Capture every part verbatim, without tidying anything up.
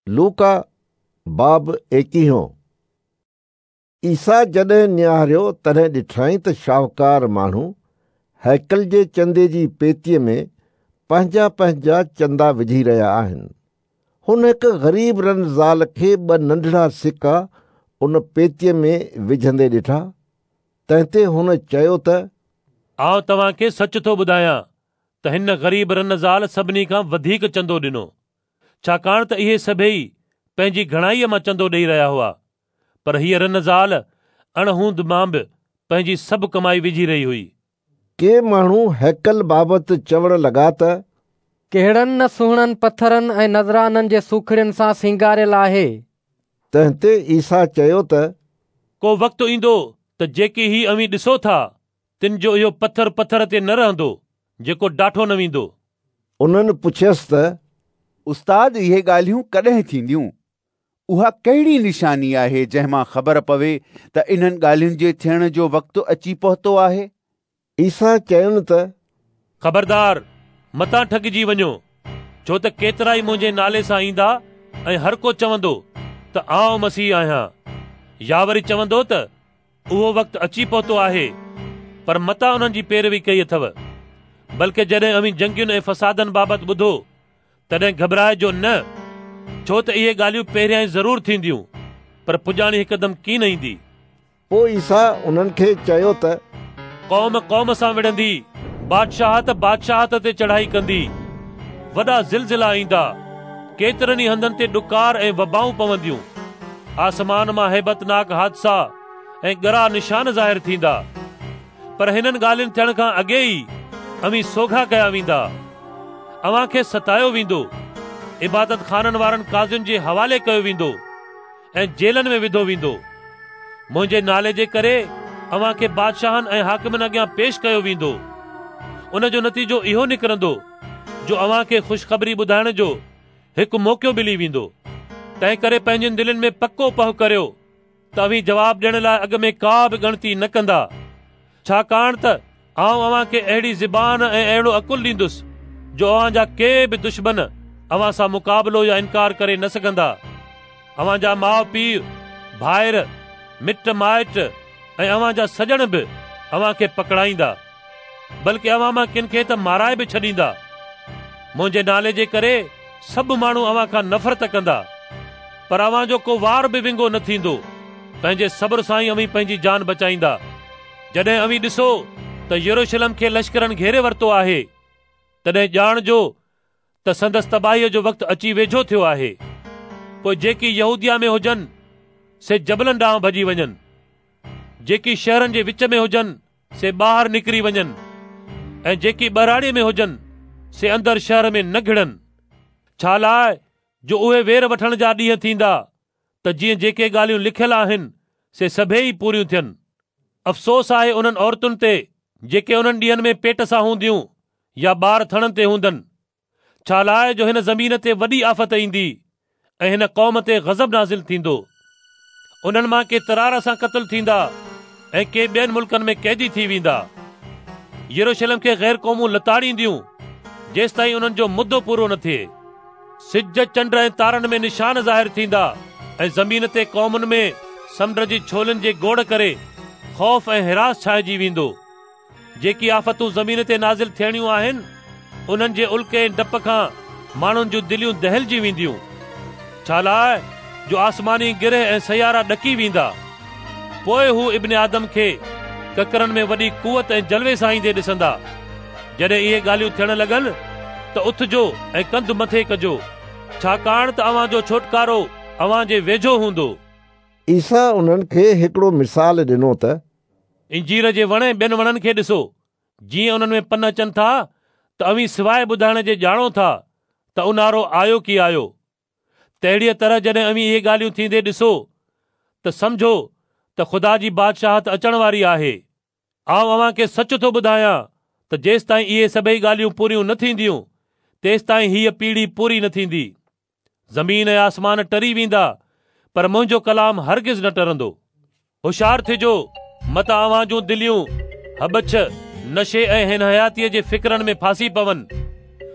लूका बाब एकवीहों। ईसा जॾहिं निहारियो तॾहिं ॾिठई त शाहूकार माण्हू हैकल जे चंदे जी पेतीअ में पंहिंजा पंहिंजा चंदा विझी रहिया आहिनि। हुन हिकु ग़रीब रन ज़ाल खे ॿ नंढड़ा सिका उन पेतीअ में विझंदे ॾिठा। तंहिं ते हुन चयो त आउं तव्हांखे सच थो ॿुधायां त हिन ग़रीब रन ज़ाल सभिनी खां वधीक चंदो ॾिनो, छाकाणि त इहे सभई पंहिंजी घणाईअ मां चंदो ॾेई रहिया हुआ, पर हीअ रन ज़ाल अणहूंद मां बि पंहिंजी सभु कमाई विझी रही हुई। के माण्हू हैकल बाबति चवण लॻा त कहिड़नि न सुहिणनि पथरनि ऐं नज़राननि जे सूखड़ियुनि सां सिंगारियल आहे। तंहिं ते ईसा चयो त को वक़्तु ईंदो त जेकी ही अवीं ॾिसो था तिन जो इहो पथर पथर ते न रहंदो जेको डाठो न वेंदो। उन्हनि पुछियसि त उस्ताद, इहे ॻाल्हियूं कॾहिं थींदियूं? उहा कहिड़ी निशानी आहे जंहिं मां ख़बर पवे त इन्हनि ॻाल्हियुनि जे थियण जो वक़्तु अची पहुतो आहे? ईसा चयुनि त ख़बरदार, मतां ठगिजी वञो, छो त केतिरा ई मुंहिंजे नाले सां ईंदा ऐं हर को चवंदो त आउं मसीह आहियां, या वरी चवंदो त उहो वक़्तु अची पहुतो आहे, पर मतां उन्हनि जी पैरवी कई अथव। बल्कि जॾहिं अवीं जंगियुनि ऐं फसादनि बाबति ॿुधो तॾहिं घबराइजो न, छो त इहे ॻाल्हियूं पहिरियां ज़रूर थींदियूं, पर पुॼाणी हिकदमि कीन ईंदी। पोइ ईसा उन्हनि खे चयो त क़ौम क़ौम सां विढ़ंदी, बादशाहत बादशाहत ते चढ़ाई कंदी, वॾा ज़िलज़िला ईंदा, केतिरनि ई हंधनि ते ॾुकार ऐं वबाऊं पवंदियूं, आसमान मां हैबतनाक हादसा ऐं ॻरा निशान ज़ाहिर थींदा। पर हिननि ॻाल्हियुनि थियण खां अॻे ई अवीं सोघा कया वेंदा, अव्हां खे सतायो वेंदो, इबादत खाननि वारनि काज़ियुनि जे हवाले कयो वेंदो ऐं जेलनि में विधो वेंदो। मुंहिंजे नाले जे करे अव्हां खे बादशाहनि ऐं हाकिमनि अॻियां पेश कयो वेंदो। उन जो नतीजो इहो निकिरंदो जो अव्हां खे ख़ुशख़बरी ॿुधाइण जो हिकु मौक़ो मिली वेंदो। तंहिं करे पंहिंजनि दिलनि में पको पह करियो त अवीं जवाब ॾियण लाइ अॻु में का बि ॻणती न कंदा, छाकाणि त आउं अव्हां खे अहिड़ी ज़बान ऐं अहिड़ो अकुल ॾींदुसि जो अव्हां जा के बि दुश्मन अव्हां सां मुक़ाबिलो या इनकार करे न सघंदा। अव्हां जा माउ पीउ, भाइर, मिट माइट ऐं अव्हां जा सॼण बि अव्हां खे पकड़ाईंदा, बल्कि अव्हां मां किन खे त माराए बि छॾींदा। मुंहिंजे नाले जे करे सभु माण्हू अव्हां खां नफ़रत कंदा, पर अव्हां जो को वार बि विंगो न थींदो। पंहिंजे सब्र सां ई अवीं पंहिंजी जान बचाईंदा। जॾहिं अवीं ॾिसो त यरूशलेम खे लश्करनि घेरे वरितो आहे, तॾहिं ॼाणजो त संदसि तबाहीअ जो वक़्तु अची वेझो थियो आहे। पोइ जेकी यहूदिया में हुजनि से जबलनि ॾांहुं भॼी वञनि, जेकी शहरनि जे विच में हुजनि से ॿाहिरि निकिरी वञनि, ऐं जेकी ॿहराड़ीअ में हुजनि से अंदरि शहर में न घिड़नि। छा लाइ जो उहे वेर वठण जा ॾींहं थींदा त जीअं जेके ॻाल्हियूं लिखियल आहिनि से सभई पूरियूं थियनि। अफ़सोस आहे उन्हनि औरतुनि ते जेके उन्हनि ॾींहंनि में पेट सां हूंदियूं या ॿार थणनि ते हूंदनि, छा लाइ जो हिन ज़मीन ते वॾी आफ़त ईंदी ऐं हिन क़ौम ते ग़ज़ब नाज़िल थींदो। उन्हनि मां के तरार सां क़तल थींदा ऐं के ॿियनि मुल्कनि में क़ैदी थी वेंदा। यरूशलेम खे ग़ैर क़ौमूं लताड़ींदियूं जेसि ताईं उन्हनि जो मुदो पूरो न थिए। सिज, चंड ऐं तारनि में निशान ज़ाहिर थींदा ऐं ज़मीन ते क़ौमुनि में समुंड जी छोलनि जे गोड़ करे ख़ौफ़ ऐं हिरास छाइजी वेंदो। जेकी आफ़तूं ज़मीन ते नाज़िल थियणियूं आहिनि उन्हनि जे उल्के ऐं डप खां माण्हुनि जूं दिलियूं दहलजी वेंदियूं, छा लाइ जो आसमानी गिरह ऐं सयारा ॾकी वेंदा। पोइ हू इब्न आदम खे ककरनि में वॾी कुवत ऐं जलवे सां ईंदे ॾिसंदा। जॾहिं इहे ॻाल्हियूं थियण लॻनि त उथजो ऐं कंध मथे कजो, छाकाणि त अव्हां जो छुटकारो अव्हां जे वेझो हूंदो। ईसा उन्हनि खे हिकिड़ो मिसाल ॾिनो त इंजीर जे वण ऐं ॿियनि वणनि खे ॾिसो, जीअं उन्हनि में पन अचनि था त अवीं सवाइ ॿुधाइण जे ॼाणो था त उन्हारो आयो की आयो। तहिड़ीअ तरह जॾहिं अवीं इहे ॻाल्हियूं थींदे ॾिसो त सम्झो त ख़ुदा जी बादशाहत अचण वारी आहे। आउं अव्हां खे सच थो ॿुधायां त जेसि ताईं इहे सभई ॻाल्हियूं पूरियूं न थींदियूं तेसि ताईं हीअ पीढ़ी पूरी न थींदी। ज़मीन ऐं आसमान टरी वेंदा, पर मुंहिंजो कलाम हरगिज़ न टरंदो। होशियार थिजो, मतां अव्हां जूं दिलियूं हबछ, नशे ऐं हिन हयातीअ जे फ़िक्रनि में फांसी पवनि।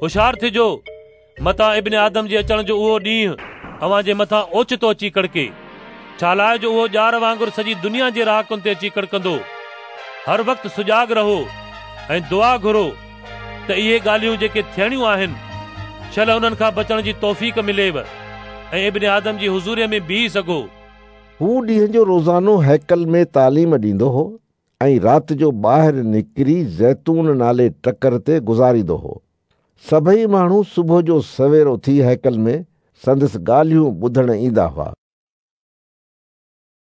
होशियार थिजो, मतां इब्न आदम जे अचण जो उहो ॾींहुं اوهان جي مٿان اوچتو اچي ڪڙڪي، ڇا لاءِ جو اهو ڄار وانگر سڄي دنيا جي رهاڪن تي اچي ڪڙڪندو. هر وقت سجاڳ رهو ۽ دعا گهرو ته اهي ڳالهيون جيڪي ٿيڻيون آهن، شل انهن کان بچڻ جي توفيق مليو ۽ ابن آدم جي حضوريءَ ۾ بيهي سگهو. هو ڏينهن جو روزانو هيڪل ۾ تعليم ڏيندو هو ۽ رات جو ٻاهر نڪري زيتون نالي ٽڪر تي گذاريندو هو. سڀئي ماڻهو صبح جو سوير اٿي هيڪل ۾ سندس ڳالهيون ٻڌڻ ايندا هئا.